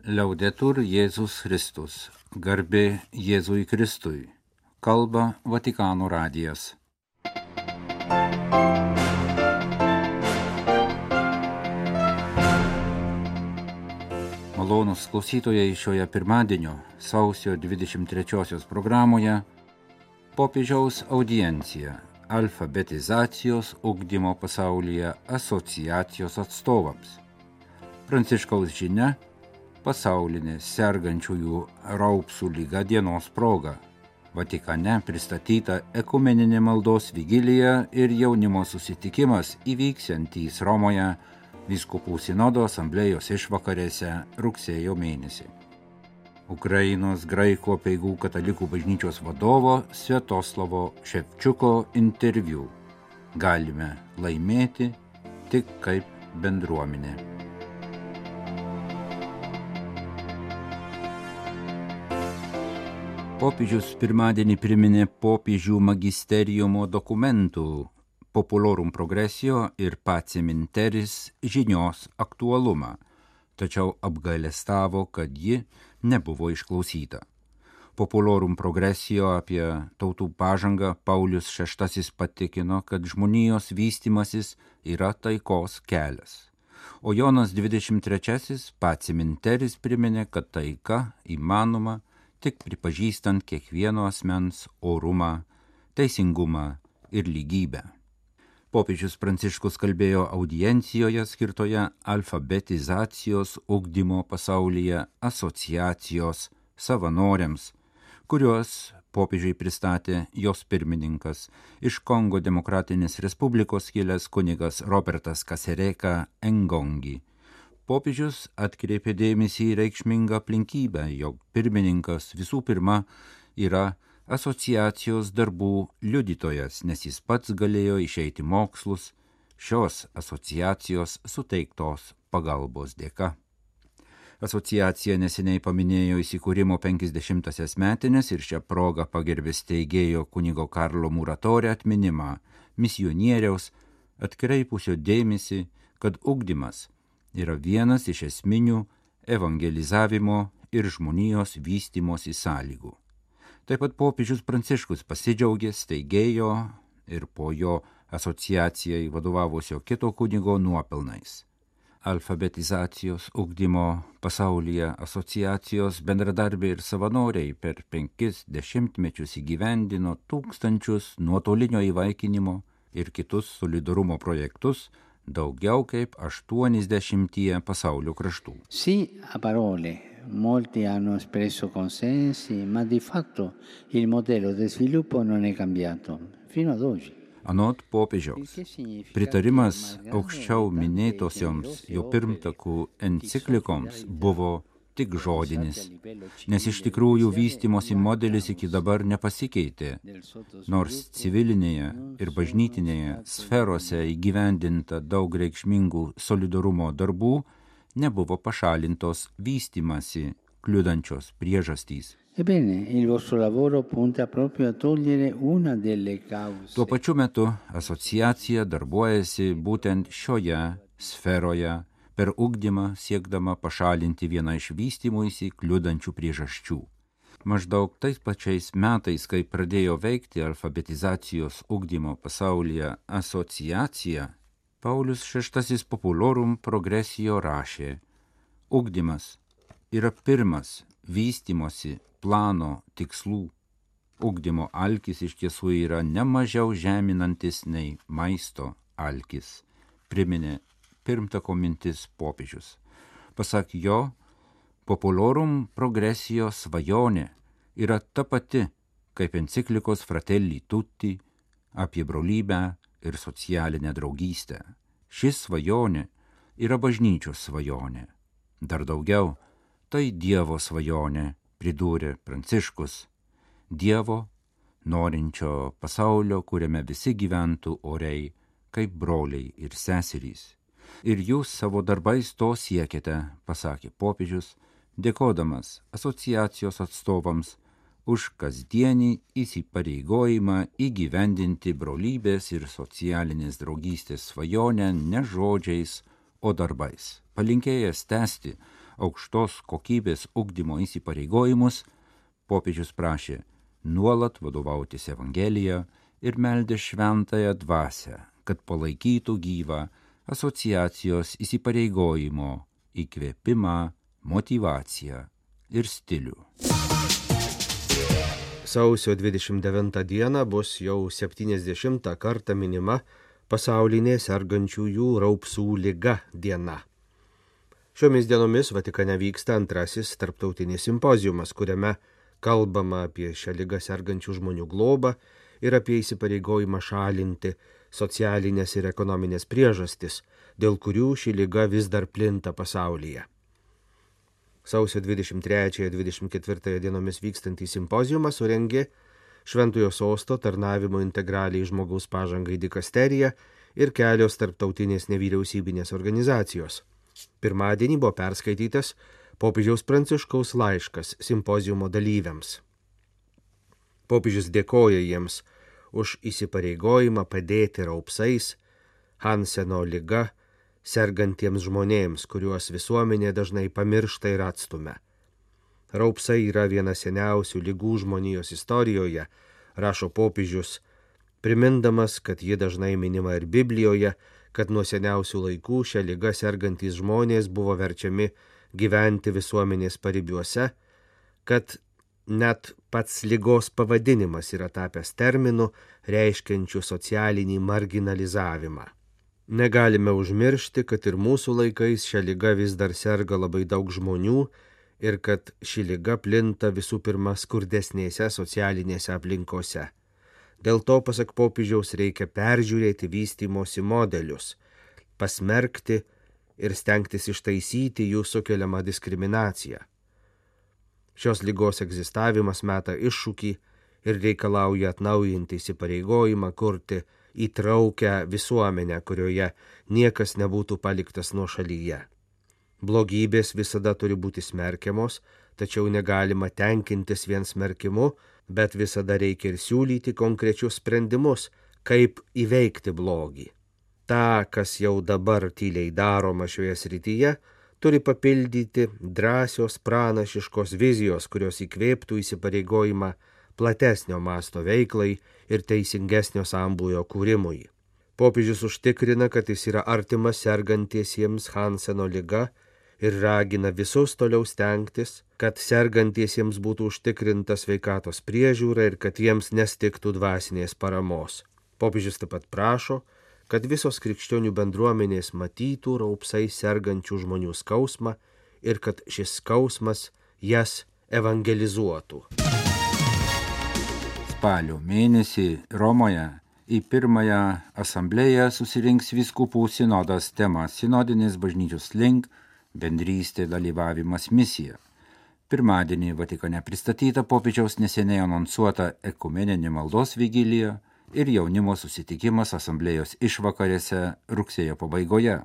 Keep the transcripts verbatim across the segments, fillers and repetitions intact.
Liaudetur Jėzus Kristus, garbė Jėzui Kristui, kalba Vatikano radijas. Malonūs klausytojai, šioje pirmadienio sausio dvidešimt trečiosios programoje popiežiaus audiencija alfabetizacijos ugdymo pasaulyje asociacijos atstovams. Pranciškaus žinia pasaulinė sergančiųjų raupsų liga dienos proga. Vatikane pristatyta ekumeninė maldos vigilija ir jaunimo susitikimas įvyksiantys Romoje vyskupų sinodo asamblėjos išvakarėse rugsėjo mėnesį. Ukrainos graikų apeigų katalikų bažnyčios vadovo Sviatoslavo Ševčiuko interviu. Galime laimėti tik kaip bendruomenė. Popiežius pirmadienį priminė popiežių magisteriumo dokumentų Populorum Progressio ir Pacem in Terris žinios aktualumą, tačiau apgailestavo, kad ji nebuvo išklausyta. Populorum Progressio apie tautų pažangą Paulius šeštasis patikino, kad žmonijos vystimasis yra taikos kelias. O Jonas dvidešimt trečiasis Pacem in Terris priminė, kad taika įmanoma tik pripažįstant kiekvieno asmens orumą, teisingumą ir lygybę. Popiežius Pranciškus kalbėjo audiencijoje skirtoje alfabetizacijos ugdymo pasaulyje asociacijos savanoriams, kuriuos popiežiui pristatė jos pirmininkas iš Kongo Demokratinės Respublikos kilęs kunigas Robertas Kasereka Engongi. Popiežius atkreipė dėmesį į reikšmingą aplinkybę, jog pirmininkas visų pirma yra asociacijos darbų liudytojas, nes jis pats galėjo išeiti mokslus šios asociacijos suteiktos pagalbos dėka. Asociacija neseniai paminėjo įsikūrimo penkiasdešimtąsias metines ir šią progą pagerbė steigėjo kunigo Karlo Muratore atminimą, misionieriaus atkreipusio dėmesį, kad ugdymas yra vienas iš esminių evangelizavimo ir žmonijos vystymosi sąlygų. Taip pat popiežius Pranciškus pasidžiaugė steigėjo ir po jo asociacijai vadovavusio kito kunigo nuopelnais. Alfabetizacijos ugdymo pasaulyje asociacijos bendradarbiai ir savanoriai per penkis dešimtmečius įgyvendino tūkstančius nuotolinio įvaikinimo ir kitus solidarumo projektus daugiau kaip aštuoniasdešimtyje pasaulio kraštų. Sì, a parole, molti hanno espresso consensi, ma di fatto il modello di sviluppo non è cambiato fino ad oggi. Anot popiežiaus, pritarimas aukščiau minėtosioms jo pirmtakų enciklikoms buvo tik žodinis, nes iš tikrųjų vystymosi modelis iki dabar nepasikeitė, nors civilinėje ir bažnytinėje sferose įgyvendinta daug reikšmingų solidarumo darbų nebuvo pašalintos vystymasi kliudančios priežastys. Ebbene, il vostro lavoro punta proprio a togliere una delle cause. Tuo pačiu metu asociacija darbuojasi būtent šioje sferoje, per ugdymą siekdama pašalinti vieną iš vystymuisi kliudančių priežasčių. Maždaug tais pačiais metais, kai pradėjo veikti alfabetizacijos ugdymo pasaulyje asociacija, Paulius šeštasis Populorum Progressio rašė: ugdymas yra pirmas vystymosi plano tikslų. Ugdymo alkis iš tiesų yra ne mažiau žeminantis nei maisto alkis, priminė pirmtako mintis popiežius. Pasak jo, Populorum Progressio svajonė yra ta pati, kaip enciklikos Fratelli Tutti apie brolybę ir socialinę draugystę. Ši svajonė yra bažnyčios svajonė. Dar daugiau, tai Dievo svajonė, pridūrė Pranciškus. Dievo, norinčio pasaulio, kuriame visi gyventų oriai, kaip broliai ir seserys. Ir jūs savo darbais to siekite, pasakė popiežius, dėkodamas asociacijos atstovams už kasdienį įsipareigojimą įgyvendinti brolybės ir socialinės draugystės svajonę ne žodžiais, o darbais. Palinkėjęs tęsti aukštos kokybės ugdymo įsipareigojimus, popiežius prašė nuolat vadovautis Evangelija ir meldė šventąją dvasią, kad palaikytų gyvą asociacijos įsipareigojimo, įkvėpimą, motyvaciją ir stilių. Sausio dvidešimt devintą dieną bus jau septyniasdešimtą kartą minima pasaulinė sergančiųjų raupsų liga diena. Šiomis dienomis Vatikane vyksta antrasis tarptautinis simpoziumas, kuriame kalbama apie šią ligą sergančių žmonių globą ir apie įsipareigojimą šalinti socialinės ir ekonominės priežastis, dėl kurių ši liga vis dar plinta pasaulyje. Sausio dvidešimt trečiąją ir dvidešimt ketvirtąją dienomis vykstantį simpoziumą surengė Šventojo Sosto tarnavimo integraliai žmogaus pažangai dikasterija ir kelios tarptautinės nevyriausybinės organizacijos. Pirmadienį buvo perskaitytas popiežiaus Pranciškaus laiškas simpoziumo dalyviams. Popiežius dėkoja jiems už įsipareigojimą padėti raupsais, Hanseno liga, sergantiems žmonėms, kuriuos visuomenė dažnai pamiršta ir atstumia. Raupsai yra viena seniausių ligų žmonijos istorijoje, rašo popiežius, primindamas, kad ji dažnai minima ir Biblijoje, kad nuo seniausių laikų šią ligą sergantys žmonės buvo verčiami gyventi visuomenės paribiuose, kad net pats ligos pavadinimas yra tapęs terminu, reiškiančiu socialinį marginalizavimą. Negalime užmiršti, kad ir mūsų laikais šią ligą vis dar serga labai daug žmonių ir kad ši liga plinta visų pirma skurdesnėse socialinėse aplinkose. Dėl to, pasak popiežiaus, reikia peržiūrėti vystymosi modelius, pasmerkti ir stengtis ištaisyti jų sukeliamą diskriminaciją. Šios ligos egzistavimas meta iššūkį ir reikalauja atnaujinti įsipareigojimą kurti įtraukę visuomenę, kurioje niekas nebūtų paliktas nuošalyje. Blogybės visada turi būti smerkiamos, tačiau negalima tenkintis vien smerkimu, bet visada reikia ir siūlyti konkrečius sprendimus, kaip įveikti blogį. Ta, kas jau dabar tyliai daroma šioje srityje, turi papildyti drąsios pranašiškos vizijos, kurios įkvėptų įsipareigojimą platesnio masto veiklai ir teisingesnio sambūvio kūrimui. Popiežius užtikrina, kad jis yra artimas sergantiesiems Hanseno liga ir ragina visus toliau stengtis, kad sergantiesiems būtų užtikrinta sveikatos priežiūra ir kad jiems nestigtų dvasinės paramos. Popiežius taip pat prašo, kad visos krikščionių bendruomenės matytų raupsai sergančių žmonių skausmą ir kad šis skausmas jas evangelizuotų. Spalio mėnesį Romoje į pirmąją asamblėją susirinks vyskupų sinodas tema Sinodinis bažnyčios link, bendrystė, dalyvavimas, misija. Pirmadienį Vatikane pristatyta popiežiaus neseniai anonsuota ekumeninė maldos vigilija ir jaunimo susitikimas asamblėjos išvakarėse rugsėjo pabaigoje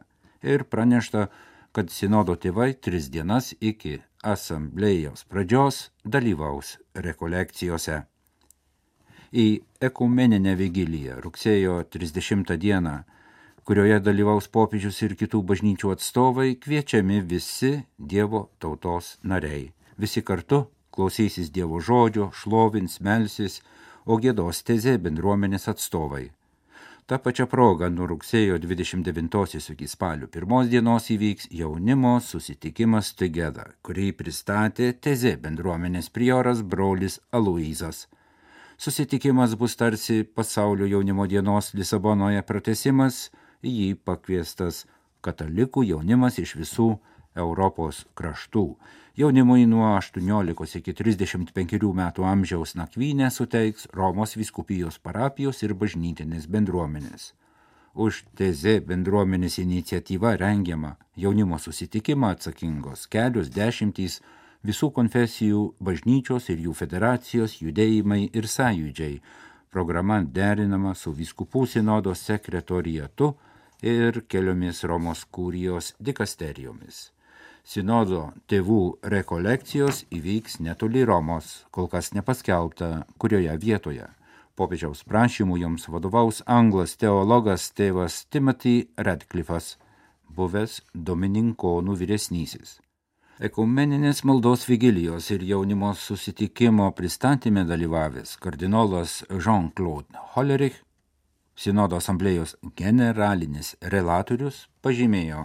ir pranešta, kad sinodo tėvai tris dienas iki asamblėjos pradžios dalyvaus rekolekcijose. Į ekumeninę vigiliją rugsėjo trisdešimtą dieną, kurioje dalyvaus popiežius ir kitų bažnyčių atstovai, kviečiami visi Dievo tautos nariai. Visi kartu klausysis Dievo žodžio, šlovins, melsis, o giedos tezė bendruomenės atstovai. Ta pačia proga nuo rugsėjo dvidešimt devintosios iki spalio pirmos dienos įvyks jaunimo susitikimas Together, kurį pristatė tezė bendruomenės prioras brolis Aloyzas. Susitikimas bus tarsi pasaulio jaunimo dienos Lisabonoje pratęsimas, į jį pakviestas katalikų jaunimas iš visų Europos kraštų. Jaunimui nuo aštuoniolikos iki trisdešimt penkerių metų amžiaus nakvynę suteiks Romos vyskupijos parapijos ir bažnytinės bendruomenės. Už tezė bendruomenės iniciatyva rengiama jaunimo susitikimą atsakingos kelios dešimtys visų konfesijų bažnyčios ir jų federacijos judėjimai ir sąjūdžiai. Programa derinama su vyskupų sinodo sekretoriatu ir keliomis Romos kurijos dikasterijomis. Sinodo tėvų rekolekcijos įvyks netoli Romos, kol kas nepaskelbta, kurioje vietoje. Popiežiaus prašymų joms vadovaus anglas teologas tėvas Timothy Radcliffas, buvęs domininkonų vyresnysis. Ekumeninės maldos vigilijos ir jaunimo susitikimo pristatyme dalyvavęs kardinolas Jean-Claude Hollerich, Sinodo asamblėjos generalinis relatorius, pažymėjo,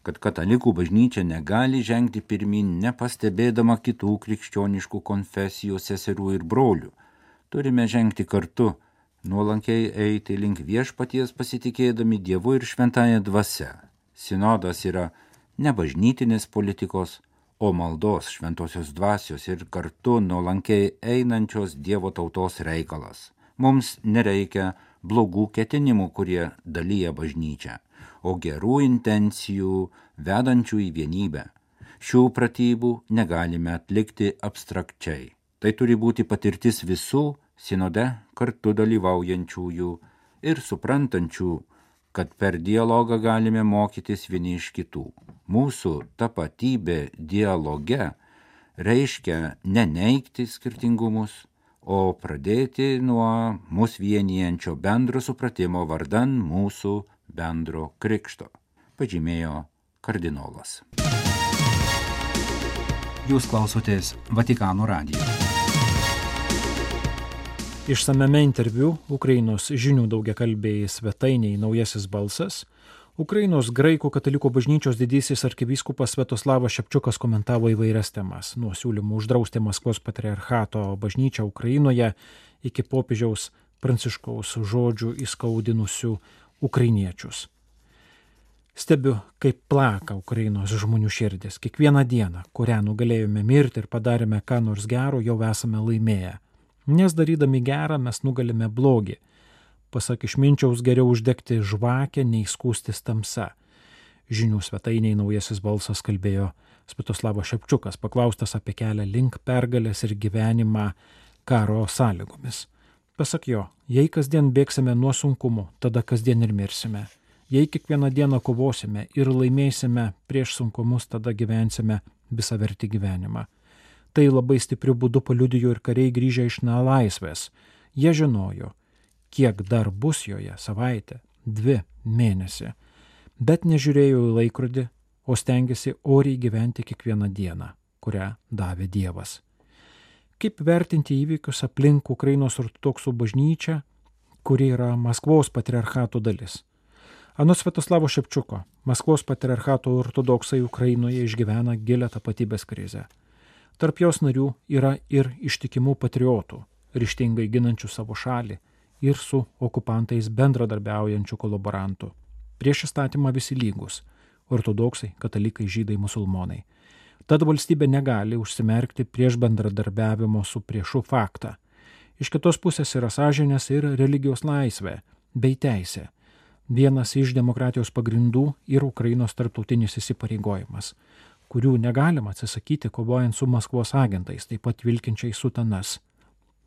kad katalikų bažnyčia negali žengti pirmin nepastebėdama kitų krikščioniškų konfesijų seserų ir brolių. Turime žengti kartu, nuolankiai eiti link viešpaties pasitikėdami Dievu ir šventąja dvasia. Sinodas yra ne bažnytinės politikos, o maldos šventosios dvasios ir kartu nuolankiai einančios Dievo tautos reikalas. Mums nereikia blogų ketinimų, kurie dalyja bažnyčią, o gerų intencijų vedančių į vienybę. Šių pratybų negalime atlikti abstrakčiai. Tai turi būti patirtis visų sinode kartu dalyvaujančiųjų ir suprantančių, kad per dialogą galime mokytis vieni iš kitų. Mūsų tapatybė dialoge reiškia neneigti skirtingumus, o pradėti nuo mus vienijančio bendro supratimo vardan mūsų bendro krikšto, pažymėjo kardinolas. Jūs klausotės Vatikano radijo. Išsamiame interviu Ukrainos žinių daugiakalbėjai svetainiai Naujasis balsas, Ukrainos graikų katalikų bažnyčios didysis arkivyskupas Sviatoslavas Šepčiukas komentavo įvairias temas, nuo siūlymų uždrausti Maskvos patriarchato bažnyčią Ukrainoje iki popiežiaus Pranciškaus žodžių įskaudinusių ukrainiečius. Stebiu, kaip plaka Ukrainos žmonių širdis. Kiekvieną dieną, kurią nugalėjome mirti ir padarėme ką nors gero, jau esame laimėję. Nes darydami gerą mes nugalime blogį. Pasak išminčiaus, geriau uždegti žvakę, nei skūstis tamsa. Žinių svetainiai Naujasis balsas kalbėjo Sviatoslavas Šepčiukas, paklaustas apie kelią link pergalės ir gyvenimą karo sąlygomis. Pasak jo, jei kasdien bėgsime nuo sunkumų, tada kasdien ir mirsime. Jei kiekvieną dieną kovosime ir laimėsime prieš sunkumus, tada gyvensime visavertį gyvenimą. Tai labai stipriu būdu paliudijo ir kariai grįžę iš nelaisvės. Jie žinojo, kiek dar bus joje savaitę, dvi, mėnesį, bet nežiūrėjo į laikrodį, o stengiasi oriai gyventi kiekvieną dieną, kurią davė Dievas. Kaip vertinti įvykius aplink Ukrainos ortodoksų bažnyčią, kuri yra Maskvos patriarchato dalis? Anot Sviatoslavo Šepčiuko, Maskvos patriarchato ortodoksai Ukrainoje išgyvena gilią tapatybės krizę. Tarp jos narių yra ir ištikimų patriotų, ryžtingai ginančių savo šalį, ir su okupantais bendradarbiaujančių kolaborantų. Prieš įstatymą visi lygus – ortodoksai, katalikai, žydai, musulmonai. Tad valstybė negali užsimerkti prieš bendradarbiavimo su priešu faktą. Iš kitos pusės yra sąžinės ir religijos laisvė bei teisė. Vienas iš demokratijos pagrindų ir Ukrainos tarptautinis įsipareigojimas, kurių negalima atsisakyti kovojant su Maskvos agentais, taip pat vilkinčiai sutanas.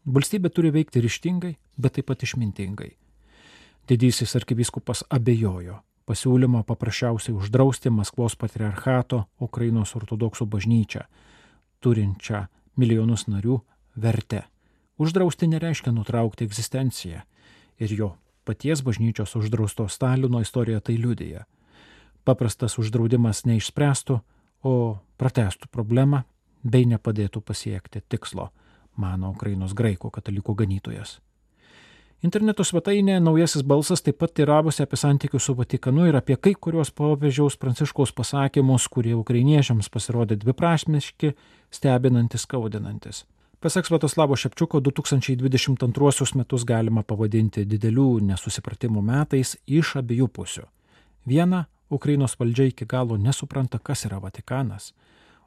Valstybė turi veikti ryžtingai, bet taip pat išmintingai. Didysis arkivyskupas abejojo pasiūlymo paprasčiausiai uždrausti Maskvos patriarchato Ukrainos ortodoksų bažnyčią, turinčią milijonus narių, vertę. Uždrausti nereiškia nutraukti egzistenciją ir jo paties bažnyčios uždrausto Stalino istorija tai liudija. Paprastas uždraudimas neišspręstų, o pratęstų problemą bei nepadėtų pasiekti tikslo, mano Ukrainos graikų katalikų ganytojas. Interneto svetainė Naujasis balsas taip pat teiravosi apie santykius su Vatikanu ir apie kai kurios popiežiaus Pranciškaus pasakymus, kurie ukrainiečiams pasirodė dviprasmiški, stebinantis, skaudinantis. Pasak Sviatoslavo Šepčiuko, du tūkstančiai dvidešimt antruosius metus galima pavadinti didelių nesusipratimų metais iš abiejų pusių. Viena, Ukrainos valdžia iki galo nesupranta, kas yra Vatikanas,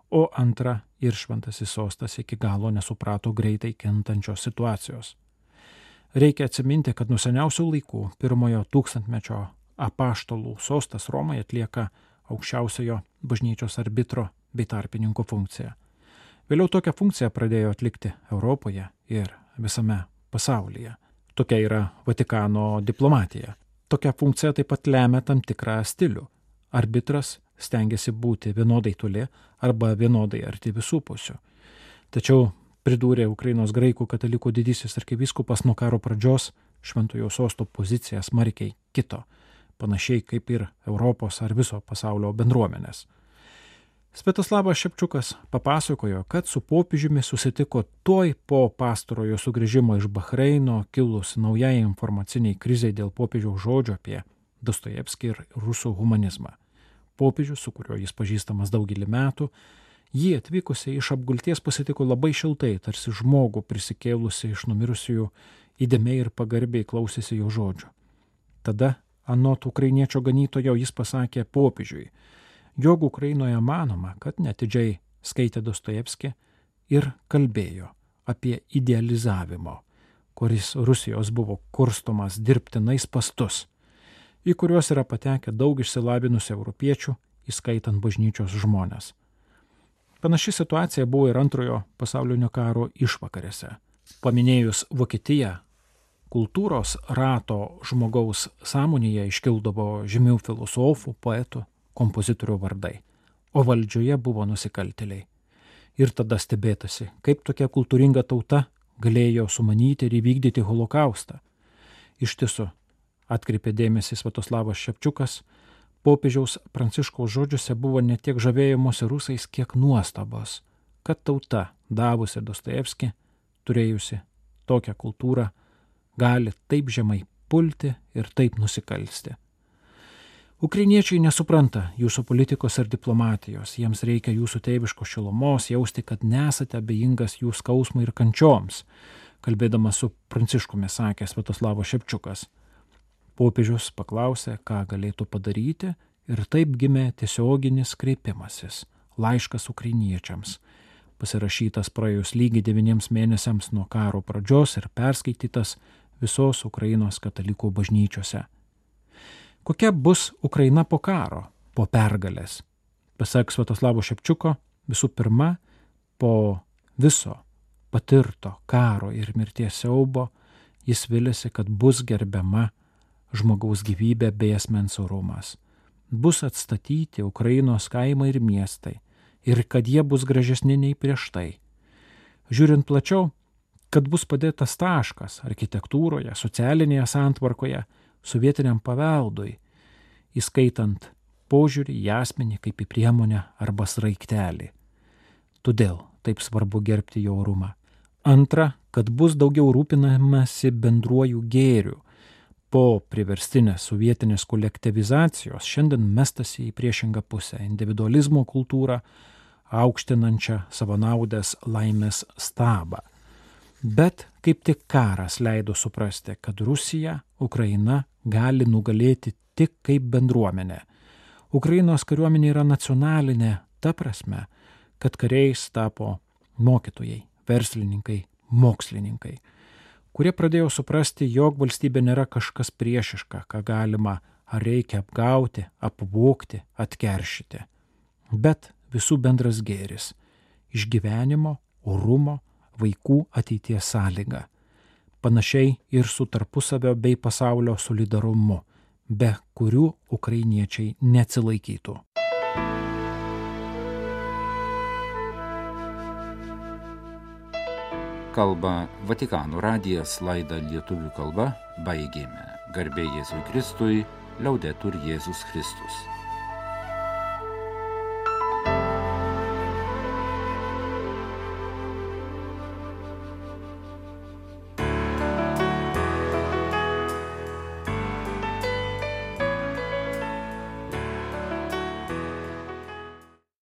o antra, ir šventasis sostas iki galo nesuprato greitai kintančios situacijos. Reikia atsiminti, kad nuo seniausių laikų pirmojo tūkstantmečio apaštalų sostas Romoje atlieka aukščiausiojo bažnyčios arbitro bei tarpininko funkciją. Vėliau tokią funkciją pradėjo atlikti Europoje ir visame pasaulyje. Tokia yra Vatikano diplomatija. Tokia funkcija taip pat lemia tam tikrą stilių. Arbitras stengiasi būti vienodai toli arba vienodai arti visų pusių. Tačiau, pridūrė Ukrainos graikų katalikų didysis arkivyskupas, nuo karo pradžios šventojo sosto pozicija smarkiai kito, panašiai kaip ir Europos ar viso pasaulio bendruomenės. Sviatoslavas Šepčiukas papasakojo, kad su popiežiumi susitiko tuoj po pastarojo sugrįžimo iš Bahreino kilus naujai informaciniai krizei dėl popiežiaus žodžio apie Dostojevskį ir rusų humanizmą. Popiežius, su kuriuo jis pažįstamas daugelį metų, jį atvykusiai iš apgulties pasitiko labai šiltai, tarsi žmogų prisikėlusi iš numirusiųjų, įdėmiai ir pagarbiai klausėsi jo žodžio. Tada, anot ukrainiečio ganytojo, jis pasakė popiežiui, jog Ukrainoje manoma, kad netidžiai skaitė Dostojevskį ir kalbėjo apie idealizavimo, kuris Rusijos buvo kurstomas dirbtinais spastus, į kuriuos yra patekę daug išsilavinusių europiečių, įskaitant bažnyčios žmonės. Panaši situacija buvo ir antrojo pasaulinio karo išvakarėse. Paminėjus Vokietiją, kultūros rato žmogaus sąmonėje iškildavo žymių filosofų, poetų, kompozitorių vardai, o valdžioje buvo nusikaltėliai. Ir tada stebėtasi, kaip tokia kultūringa tauta galėjo sumanyti ir įvykdyti holokaustą. Iš tiesų, atkreipė dėmesį Sviatoslavas Šepčiukas, popiežiaus Pranciškaus žodžiuose buvo ne tiek žavėjimuose rusais, kiek nuostabos, kad tauta, davusi Dostojevskį, turėjusi tokią kultūrą, gali taip žemai pulti ir taip nusikalsti. Ukrainiečiai nesupranta jūsų politikos ir diplomatijos, jiems reikia jūsų tėviškos šilumos, jausti, kad nesate abejingas jų skausmui ir kančioms, kalbėdamas su Pranciškumi sakė Sviatoslavas Šepčiukas. Popiežius paklausė, ką galėtų padaryti, ir taip gimė tiesioginis kreipimasis, laiškas ukrainiečiams, pasirašytas praėjus lygiai devyniems mėnesiams nuo karo pradžios ir perskaitytas visos Ukrainos katalikų bažnyčiose. Kokia bus Ukraina po karo, po pergalės? Pasak Sviatoslavo Šepčiuko, visų pirma, po viso patirto karo ir mirties siaubo, jis vilėsi, kad bus gerbiama žmogaus gyvybė bei asmens orumas. Bus atstatyti Ukrainos kaimai ir miestai ir kad jie bus gražesni nei prieš tai. Žiūrint plačiau, kad bus padėtas taškas architektūroje, socialinėje santvarkoje, sovietiniam paveldui, įskaitant požiūrį į asmenį kaip į priemonę arba sraigtelį. Todėl taip svarbu gerbti jo orumą. Antra, kad bus daugiau rūpinamasi bendruoju gėriu. Po priverstinės sovietinės kolektyvizacijos šiandien mestasi į priešingą pusę individualizmo kultūrą, aukštinančią savanaudės laimės stabą. Bet kaip tik karas leido suprasti, kad Rusija, Ukraina gali nugalėti tik kaip bendruomenė. Ukrainos kariuomenė yra nacionalinė ta prasme, kad kariais tapo mokytojai, verslininkai, mokslininkai, kurie pradėjo suprasti, jog valstybė nėra kažkas priešiška, ką galima ar reikia apgauti, apvogti, atkeršyti, bet visų bendras gėris, išgyvenimo, orumo, vaikų ateities sąlyga, panašiai ir su tarpusavio bei pasaulio solidarumu, be kurių ukrainiečiai neatsilaikytų. Kalba Vatikano radijas, laidą lietuvių kalba baigėme. Garbė Jėzui Kristui, liaudetur Jėzus Kristus.